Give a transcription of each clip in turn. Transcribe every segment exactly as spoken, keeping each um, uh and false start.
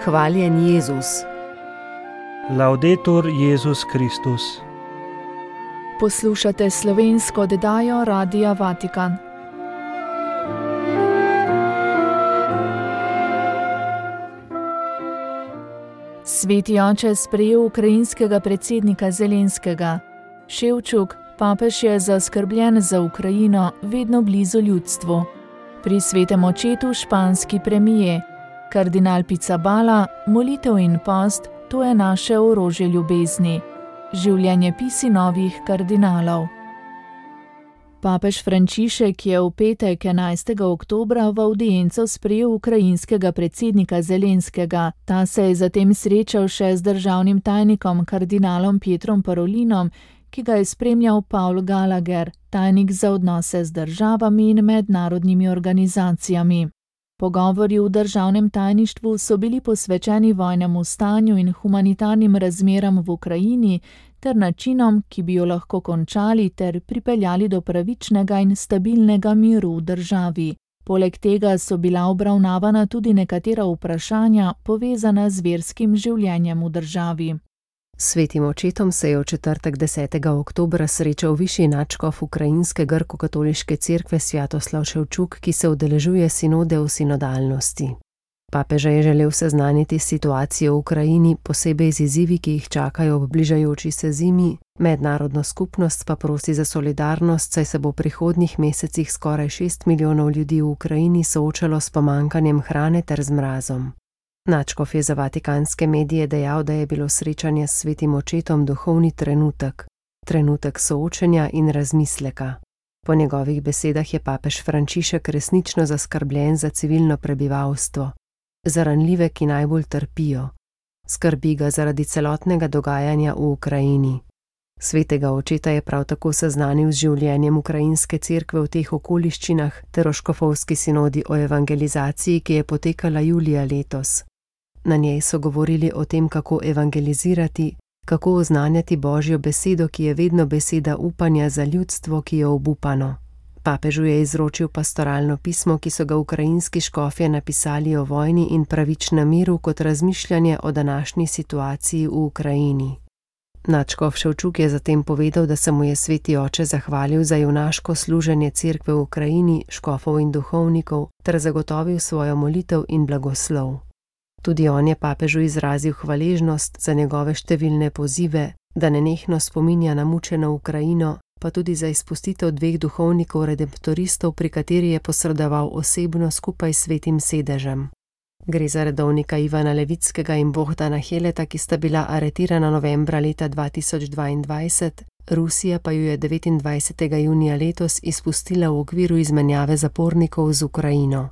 Hvaljen Jezus. Laudetur Jezus Kristus. Poslušate slovensko oddajo Radia Vatikan. Sveti oče sprejel ukrajinskega predsednika Zelenskega. Ševčuk, papež je zaskrbljen za Ukrajino, vedno blizu ljudstvu. Pri svetem očetu španski premije. Kardinal Pizzaballa, molitev in post, to je naše orožje ljubezni. Življenjepisi novih kardinalov. Papež Frančišek je v petek enajstega oktobra v avdienco sprejel ukrajinskega predsednika Zelenskega. Ta se je zatem srečal še z državnim tajnikom kardinalom Pietrom Parolinom, ki ga je spremljal Paul Gallagher, tajnik za odnose z državami in mednarodnimi organizacijami. Pogovori v državnem tajništvu so bili posvečeni vojnemu stanju in humanitarnim razmeram v Ukrajini ter načinom, ki bi jo lahko končali ter pripeljali do pravičnega in stabilnega miru v državi. Poleg tega so bila obravnavana tudi nekatera vprašanja povezana z verskim življenjem v državi. Svetim očetom se je v četrtek desetega oktobra srečal višji nadškof ukrajinske grko-katoliške cerkve Svjatoslav Ševčuk, ki se udeležuje sinode v sinodalnosti. Papeža je želel seznaniti s situacijo v Ukrajini, posebej z izzivi, ki jih čakajo ob bližajoči se zimi, mednarodno skupnost pa prosi za solidarnost, saj se bo v prihodnjih mesecih skoraj šest milijonov ljudi v Ukrajini soočalo s pomanjkanjem hrane ter z mrazom. Nadškof je za vatikanske medije dejal, da je bilo srečanje s svetim očetom duhovni trenutek, trenutek soočenja in razmisleka. Po njegovih besedah je papež Frančišek resnično zaskrbljen za civilno prebivalstvo, za ranljive, ki najbolj trpijo. Skrbi ga zaradi celotnega dogajanja v Ukrajini. Svetega očeta je prav tako seznanil z življenjem ukrajinske cerkve v teh okoliščinah ter o škofovski sinodi o evangelizaciji, ki je potekala julija letos. Na njej so govorili o tem, kako evangelizirati, kako oznanjati Božjo besedo, ki je vedno beseda upanja za ljudstvo, ki je obupano. Papežu je izročil pastoralno pismo, ki so ga ukrajinski škofje napisali o vojni in pravičnem miru kot razmišljanje o današnji situaciji v Ukrajini. Nadškof Ševčuk je zatem povedal, da se mu je sveti oče zahvalil za junaško služenje cerkve v Ukrajini, škofov in duhovnikov, ter zagotovil svojo molitev in blagoslov. Tudi on je papežu izrazil hvaležnost za njegove številne pozive, da nenehno spominja na mučeno Ukrajino, pa tudi za izpustitev dveh duhovnikov redemptoristov, pri kateri je posredoval osebno skupaj s svetim sedežem. Gre za redovnika Ivana Levickega in Bohdana Heleta, ki sta bila aretirana novembra leta dva tisoč dvaindvajset, Rusija pa ju je devetindvajsetega junija letos izpustila v okviru izmenjave zapornikov z Ukrajino.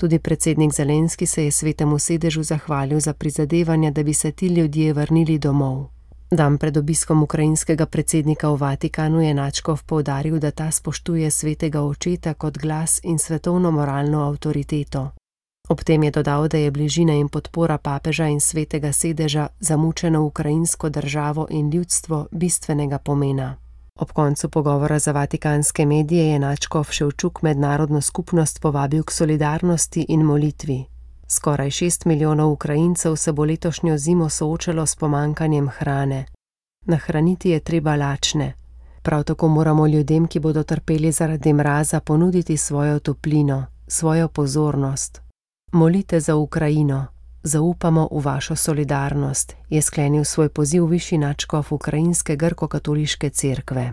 Tudi predsednik Zelenski se je svetemu sedežu zahvalil za prizadevanja, da bi se ti ljudje vrnili domov. Dan pred obiskom ukrajinskega predsednika v Vatikanu je nadškof poudaril, da ta spoštuje svetega očeta kot glas in svetovno moralno avtoriteto. Ob tem je dodal, da je bližina in podpora papeža in svetega sedeža za mučeno ukrajinsko državo in ljudstvo bistvenega pomena. Ob koncu pogovora za vatikanske medije je nadškof Ševčuk mednarodno skupnost povabil k solidarnosti in molitvi. Skoraj šest milijonov Ukrajincev se bo letošnjo zimo soočalo s pomanjkanjem hrane. Nahraniti je treba lačne. Prav tako moramo ljudem, ki bodo trpeli zaradi mraza, ponuditi svojo toplino, svojo pozornost. Molite za Ukrajino, zaupamo v vašo solidarnost, je sklenil svoj poziv višji nadškof ukrajinske grko-katoliške cerkve.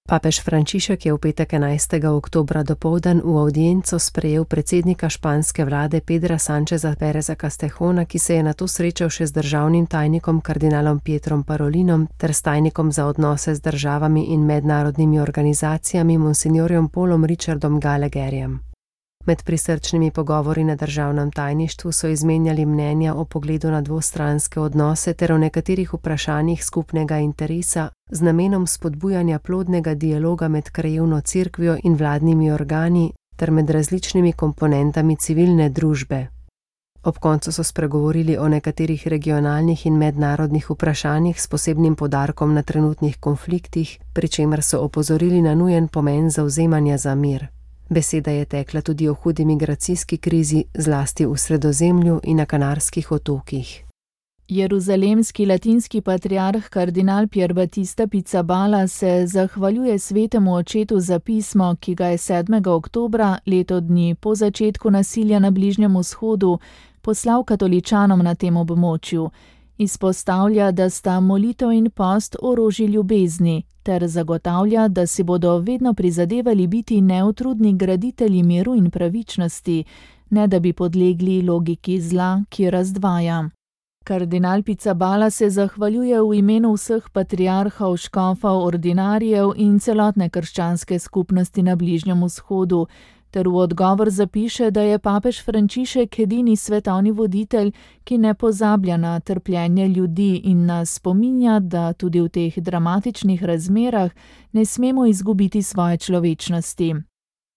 Papež Frančišek je v petek enajstega oktobra dopoldan v avdienco sprejel predsednika španske vlade Pedra Sancheza Pereza Castejona, ki se je nato srečal še z državnim tajnikom kardinalom Pietrom Parolinom ter s tajnikom za odnose z državami in mednarodnimi organizacijami monsinjorjem Paulom Richardom Gallagherjem. Med prisrčnimi pogovori na državnem tajništvu so izmenjali mnenja o pogledu na dvostranske odnose ter o nekaterih vprašanjih skupnega interesa z namenom spodbujanja plodnega dialoga med krajevno cerkvijo in vladnimi organi ter med različnimi komponentami civilne družbe. Ob koncu so spregovorili o nekaterih regionalnih in mednarodnih vprašanjih s posebnim poudarkom na trenutnih konfliktih, pri čemer so opozorili na nujen pomen zavzemanja za mir. Beseda je tekla tudi o hudi migracijski krizi, zlasti v Sredozemlju in na Kanarskih otokih. Jeruzalemski latinski patriarh kardinal Pier Battista Pizzaballa se zahvaljuje svetemu očetu za pismo, ki ga je sedmega oktobra, leto dni po začetku nasilja na Bližnjem vzhodu, poslal katoličanom na tem območju. Izpostavlja, da sta molitev in post orožje ljubezni, ter zagotavlja, da si bodo vedno prizadevali biti neutrudni graditelji miru in pravičnosti, ne da bi podlegli logiki zla, ki razdvaja. Kardinal Pizzaballa se zahvaljuje v imenu vseh patriarhov, škofov, ordinarijev in celotne krščanske skupnosti na Bližnjem vzhodu, ter v odgovor zapiše, da je papež Frančišek edini svetovni voditelj, ki ne pozablja na trpljenje ljudi in nas spominja, da tudi v teh dramatičnih razmerah ne smemo izgubiti svoje človečnosti.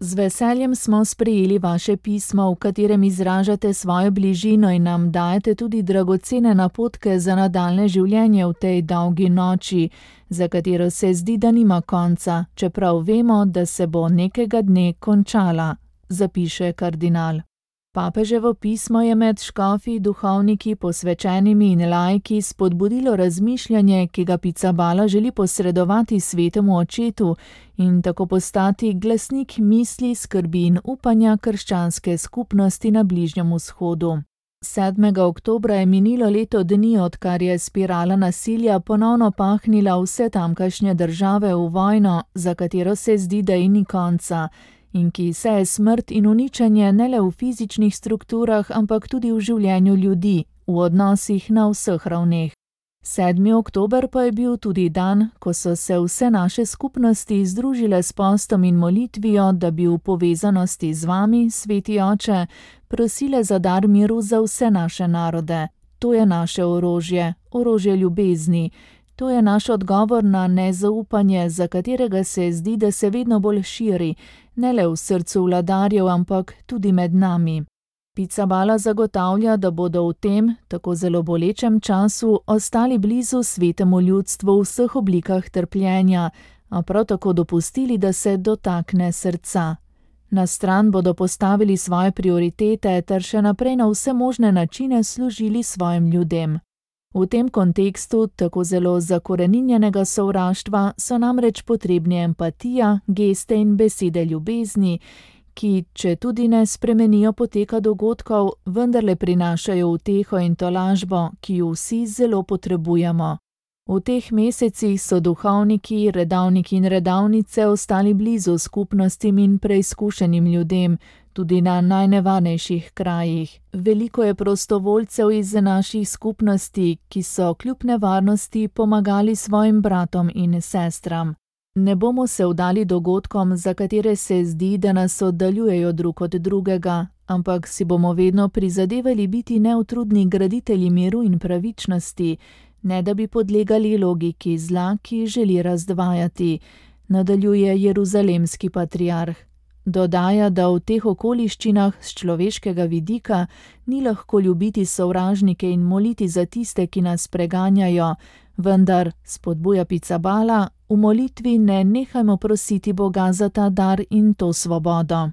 Z veseljem smo sprejeli vaše pismo, v katerem izražate svojo bližino in nam dajete tudi dragocene napotke za nadaljne življenje v tej dolgi noči, za katero se zdi, da nima konca, čeprav vemo, da se bo nekega dne končala, zapiše kardinal. Papeževo pismo je med škofi, duhovniki, posvečenimi in laiki spodbudilo razmišljanje, ki ga Pizzaballa želi posredovati svetemu očetu in tako postati glasnik misli, skrbi in upanja krščanske skupnosti na Bližnjem vzhodu. sedmega oktobra je minilo leto dni, odkar je spirala nasilja ponovno pahnila vse tamkajšnje države v vojno, za katero se zdi, da ji ni konca, in ki seje smrt in uničenje ne le v fizičnih strukturah, ampak tudi v življenju ljudi, v odnosih na vseh ravneh. sedmi oktober pa je bil tudi dan, ko so se vse naše skupnosti združile s postom in molitvijo, da bi v povezanosti z vami, sveti oče, prosile za dar miru za vse naše narode. To je naše orožje, orožje ljubezni. To je naš odgovor na nezaupanje, za katerega se zdi, da se vedno bolj širi, ne le v srcu vladarjev, ampak tudi med nami. Pizzaballa zagotavlja, da bodo v tem, tako zelo bolečem času, ostali blizu svetemu ljudstvu v vseh oblikah trpljenja, a prav tako dopustili, da se dotakne srca. Na stran bodo postavili svoje prioritete ter še naprej na vse možne načine služili svojim ljudem. V tem kontekstu tako zelo zakoreninjenega sovraštva so namreč potrebni empatija, geste in besede ljubezni, ki, če tudi ne spremenijo poteka dogodkov, vendarle prinašajo uteho in tolažbo, ki jo vsi zelo potrebujemo. V teh mesecih so duhovniki, redavniki in redavnice ostali blizu skupnostim in preizkušenim ljudem, tudi na najnevarnejših krajih. Veliko je prostovoljcev iz naših skupnosti, ki so kljub nevarnosti pomagali svojim bratom in sestram. Ne bomo se vdali dogodkom, za katere se zdi, da nas oddaljujejo drug od drugega, ampak si bomo vedno prizadevali biti neutrudni graditelji miru in pravičnosti, ne da bi podlegali logiki zla, ki želi razdvajati, nadaljuje jeruzalemski patriarh. Dodaja, da v teh okoliščinah z človeškega vidika ni lahko ljubiti sovražnike in moliti za tiste, ki nas preganjajo, vendar, spodbuja Pizzaballa, v molitvi ne nehajmo prositi Boga za ta dar in to svobodo.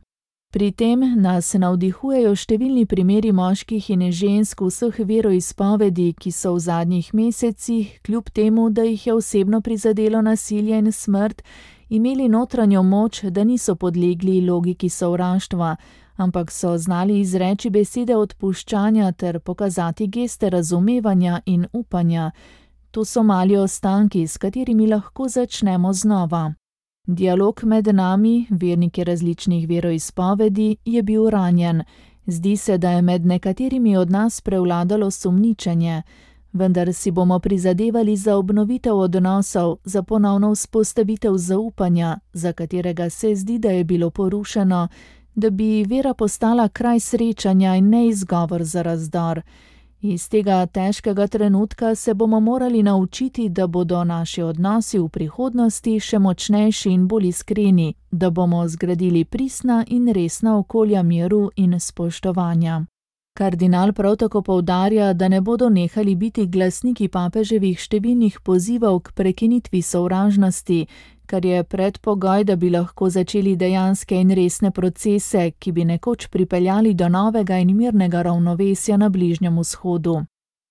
Pri tem nas navdihujejo številni primeri moških in žensk vseh veroizpovedi, ki so v zadnjih mesecih, kljub temu, da jih je osebno prizadelo nasilje in smrt, imeli notranjo moč, da niso podlegli logiki sovraštva, ampak so znali izreči besede odpuščanja ter pokazati geste razumevanja in upanja. To so mali ostanki, s katerimi lahko začnemo znova. Dialog med nami, verniki različnih veroizpovedi, je bil ranjen. Zdi se, da je med nekaterimi od nas prevladalo sumničenje, vendar si bomo prizadevali za obnovitev odnosov, za ponovno vzpostavitev zaupanja, za katerega se zdi, da je bilo porušeno, da bi vera postala kraj srečanja in ne izgovor za razdor. Iz tega težkega trenutka se bomo morali naučiti, da bodo naši odnosi v prihodnosti še močnejši in bolj iskreni, da bomo zgradili pristna in resna okolja miru in spoštovanja. Kardinal prav tako poudarja, da ne bodo nehali biti glasniki papeževih številnih pozivov k prekinitvi sovražnosti, kar je predpogoj, da bi lahko začeli dejanske in resne procese, ki bi nekoč pripeljali do novega in mirnega ravnovesja na Bližnjem vzhodu.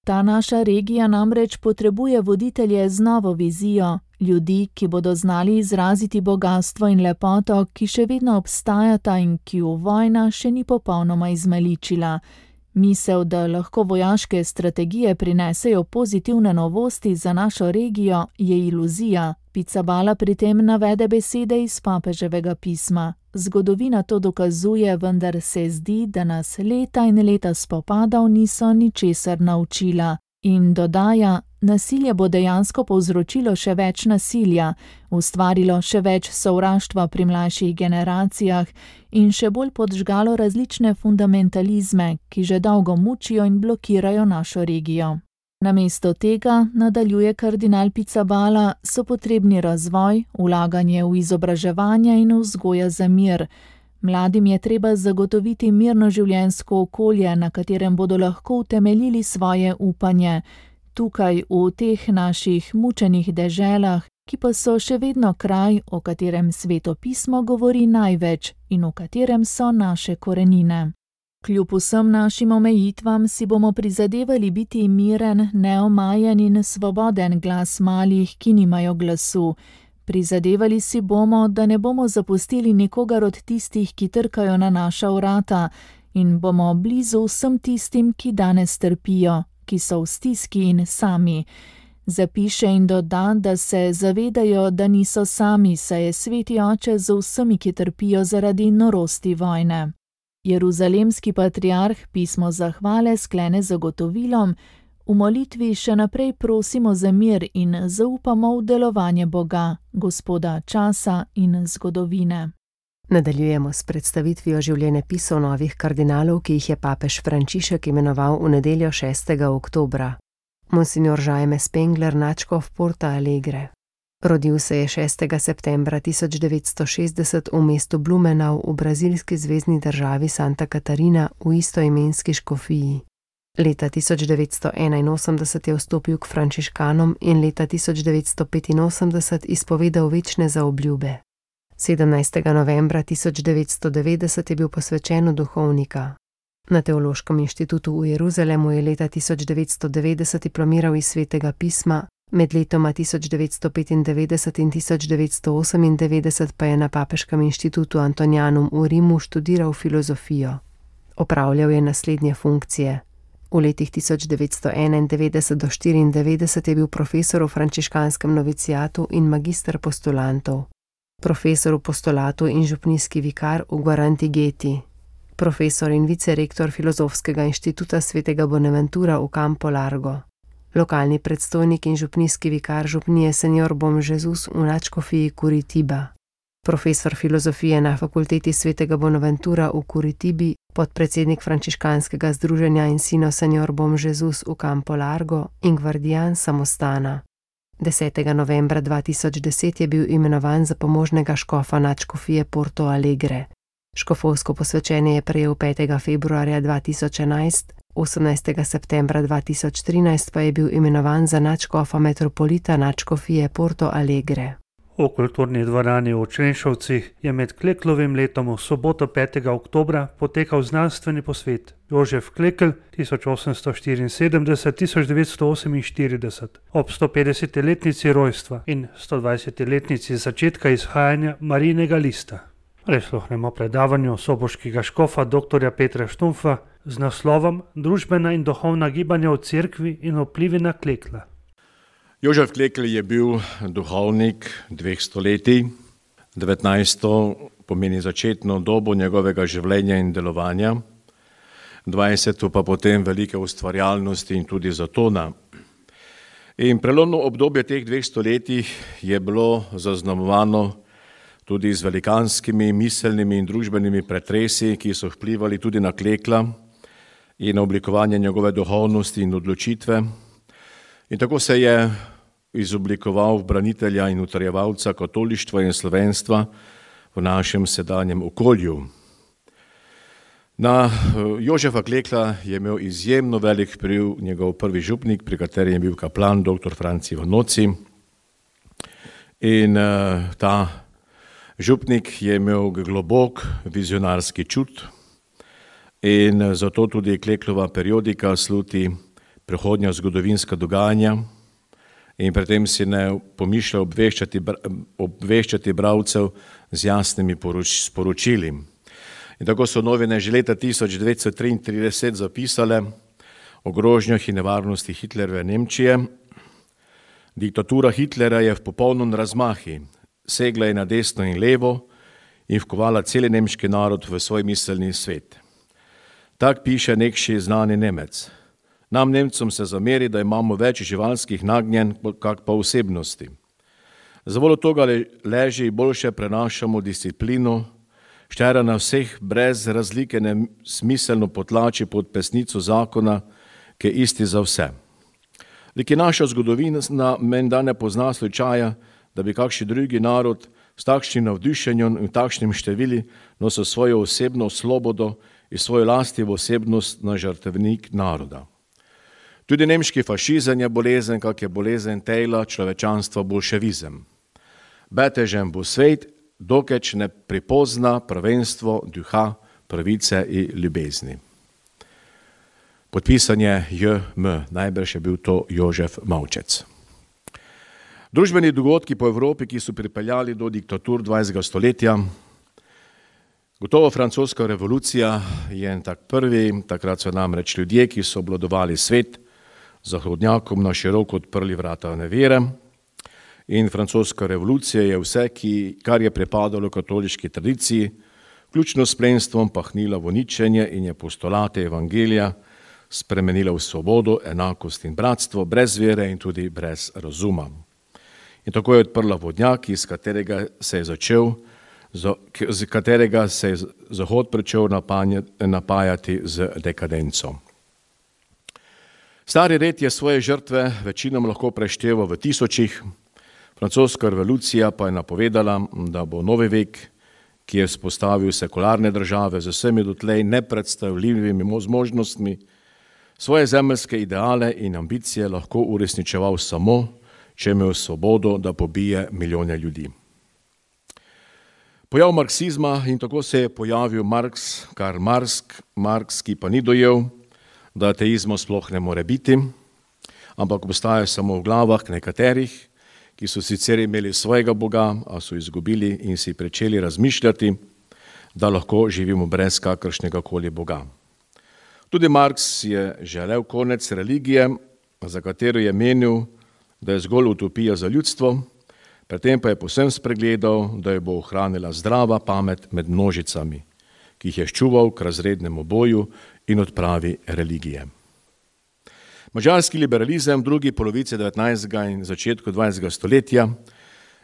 Ta naša regija namreč potrebuje voditelje z novo vizijo, ljudi, ki bodo znali izraziti bogastvo in lepoto, ki še vedno obstajata in ki ju vojna še ni popolnoma izmaličila. Misel, da lahko vojaške strategije prinesejo pozitivne novosti za našo regijo, je iluzija. Pizzaballa pri tem navede besede iz papeževega pisma. Zgodovina to dokazuje, vendar se zdi, da nas leta in leta spopadov niso ničesar naučila. In dodaja, nasilje bo dejansko povzročilo še več nasilja, ustvarilo še več sovraštva pri mlajših generacijah in še bolj podžgalo različne fundamentalizme, ki že dolgo mučijo in blokirajo našo regijo. Namesto tega, nadaljuje kardinal Pizzaballa, so potrebni razvoj, vlaganje v izobraževanje in vzgoja za mir. Mladim je treba zagotoviti mirno življenjsko okolje, na katerem bodo lahko utemeljili svoje upanje. Tukaj, v teh naših mučenih deželah, ki pa so še vedno kraj, o katerem Sveto pismo govori največ in v katerem so naše korenine. Kljub vsem našim omejitvam si bomo prizadevali biti miren, neomajen in svoboden glas malih, ki nimajo glasu. Prizadevali si bomo, da ne bomo zapustili nikogar od tistih, ki trkajo na naša vrata, in bomo blizu vsem tistim, ki danes trpijo, ki so v stiski in sami. Zapiše in doda, da se zavedajo, da niso sami, saj je Sveti Oče z vsemi, ki trpijo zaradi norosti vojne. Jeruzalemski patriarh pismo zahvale sklene z zagotovilom: v molitvi še naprej prosimo za mir in zaupamo v delovanje Boga, Gospoda časa in zgodovine. Nadaljujemo s predstavitvijo življenjepisov novih kardinalov, ki jih je papež Frančišek imenoval v nedeljo šestega oktobra. Monsignor Jaime Spengler, nadškof Porta Alegre. Rodil se je šestega septembra tisoč devetsto šestdeset v mestu Blumenau v brazilski zvezni državi Santa Catarina v istoimenski škofiji. Leta tisoč devetsto enainosemdeset je vstopil k frančiškanom in leta tisoč devetsto petinosemdeset izpovedal večne zaobljube. sedemnajstega novembra tisoč devetsto devetdeset je bil posvečen v duhovnika. Na Teološkem inštitutu v Jeruzalemu je leta tisoč devetsto devetdeset diplomiral iz Svetega pisma, med letoma tisoč devetsto petindevetdeset in tisoč devetsto osemindevetdeset pa je na Papeškem inštitutu Antonianum v Rimu študiral filozofijo. Opravljal je naslednje funkcije. V letih tisoč devetsto enaindevetdeset do štiriindevetdeset je bil profesor v frančiškanskem novicijatu in magister postulantov, profesor v postulatu in župnijski vikar v Guarantigeti, profesor in vicerektor Filozofskega inštituta svetega Bonaventura v Campo Largo, lokalni predstojnik in župnijski vikar župnije Senor Bom Jesus v nadškofiji Curitiba, profesor filozofije na fakulteti svetega Bonaventura v Curitibi, podpredsednik frančiškanskega združenja Ensino Senor Bom Jesus v Campo Largo in gvardijan samostana. desetega novembra dva tisoč deset je bil imenovan za pomožnega škofa nadškofije Porto Alegre. Škofovsko posvečenje je prejel petega februarja dva tisoč enajst, osemnajstega septembra dva tisoč trinajst pa je bil imenovan za nadškofa metropolita nadškofije Porto Alegre. V kulturni dvorani v Črenšovcih je med Kleklovim letom v soboto petega oktobra potekal znanstveni posvet Jožef Klekl tisoč osemsto štiriinsedemdeset do tisoč devetsto oseminštirideset ob stopetdesetletnici rojstva in stodvajsetletnici začetka izhajanja Marijinega lista. Prisluhnemo predavanju soboškega škofa doktorja Petra Štumfa z naslovom Družbena in duhovna gibanja v cerkvi in vplivi na Klekla. Jožef Klekl je bil duhovnik dveh stoletij. devetnajsto pomeni začetno dobo njegovega življenja in delovanja, dvajseto pa potem velike ustvarjalnosti in tudi zatona. In prelomno obdobje teh dveh stoletij je bilo zaznamovano tudi z velikanskimi miselnimi in družbenimi pretresi, ki so vplivali tudi na Klekla in na oblikovanje njegove duhovnosti in odločitve. In tako se je izoblikoval v branitelja in utrjevalca katolištva in slovenstva v našem sedanjem okolju. Na Jožefa Klekla je imel izjemno velik vpliv njegov prvi župnik, pri katerem je bil kaplan doktor Franci Vanoci. In uh, ta župnik je imel globok vizionarski čut in zato tudi Kleklova periodika sluti prihodnja zgodovinska dogajanja in pri tem si ne pomišlja obveščati, obveščati bralcev z jasnimi poroč, sporočili. In tako so novine že leta tisoč devetsto triintrideset zapisale o grožnjah in nevarnosti Hitlerjeve Nemčije. Diktatura Hitlera je v popolnom razmahi, segla je na desno in levo in vkovala celi nemški narod v svoj miselni svet. Tak piše nekši znani Nemec. Nam Nemcom se zameri, da imamo več živalskih nagnjenj, kak pa osebnosti. Zavoljo toga leži boljše prenašamo disciplino, štera na vseh brez razlike nesmiselno potlači pod pesnico zakona, ki je isti za vse. Lik je naša zgodovina menda ne pozna slučaja, da bi kakšen drugi narod s takšnim navdušenjem in takšnim števili nosil svojo osebno svobodo in svojo lastivo osebnost na žrtevnik naroda. Tudi nemški fašizem je bolezen, kak je bolezen tejla človečanstva bolševizem. Betežen bo svet, dokeč ne pripozna prvenstvo duha, pravice in ljubezni. Podpisan je J M, najbrž je bil to Jožef Mavčec. Družbeni dogodki po Evropi, ki so pripeljali do diktatur dvajsetega stoletja, gotovo francoska revolucija je en tak prvi, takrat so namreč ljudje, ki so obvladovali svet, zahodnjakom na široko odprli vrata nevere in francoska revolucija je vse, ki, kar je pripadalo katoliški tradiciji, vključno s plemstvom pahnila v uničenje in je postulate evangelija spremenila v svobodo, enakost in bratstvo, brez vere in tudi brez razuma. In tako je odprla vodnjak, iz katerega se je začel, z katerega se je Zahod pričel napajati z dekadenco. Stari red je svoje žrtve večinom lahko prešteval v tisočih, francoska revolucija pa je napovedala, da bo novi vek, ki je vzpostavil sekularne države z vsemi dotlej nepredstavljivimi možnostmi, svoje zemeljske ideale in ambicije lahko uresničeval samo, če je imel svobodo, da pobije milijone ljudi. Pojav marksizma in tako se je pojavil Marx, Karl Marx, Marx, ki pa ni dojel, da ateizma sploh ne more biti, ampak obstaja samo v glavah nekaterih, ki so sicer imeli svojega Boga, a so izgubili in si pričeli razmišljati, da lahko živimo brez kakršnega koli Boga. Tudi Marx je želel konec religije, za katero je menil, da je zgolj utopija za ljudstvo, predtem pa je povsem spregledal, da jo bo ohranila zdrava pamet med množicami, ki jih je ščuval k razrednemu boju in odpravi religije. Madžarski liberalizem v drugi polovici devetnajstega in začetku dvajsetega stoletja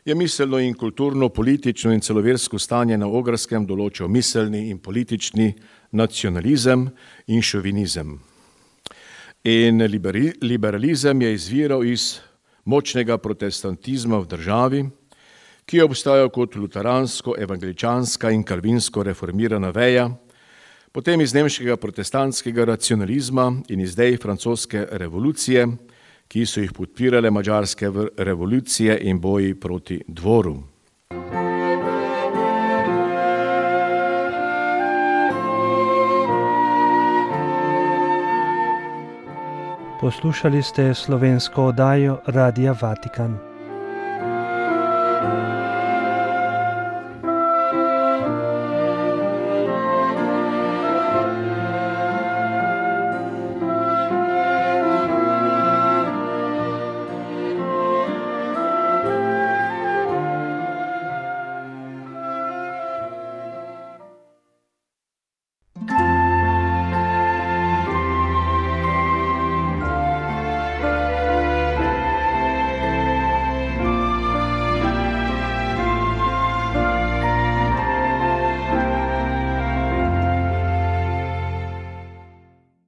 je miselno in kulturno, politično in celoversko stanje na Ogrskem določil miselni in politični nacionalizem in šovinizem. In liberalizem je izviral iz močnega protestantizma v državi, ki je obstajal kot luteransko, evangeličanska in kalvinsko reformirana veja, potem iz nemškega protestantskega racionalizma in iz idej francoske revolucije, ki so jih podpirale madžarske revolucije in boji proti dvoru. Poslušali ste slovensko oddajo Radia Vatikan.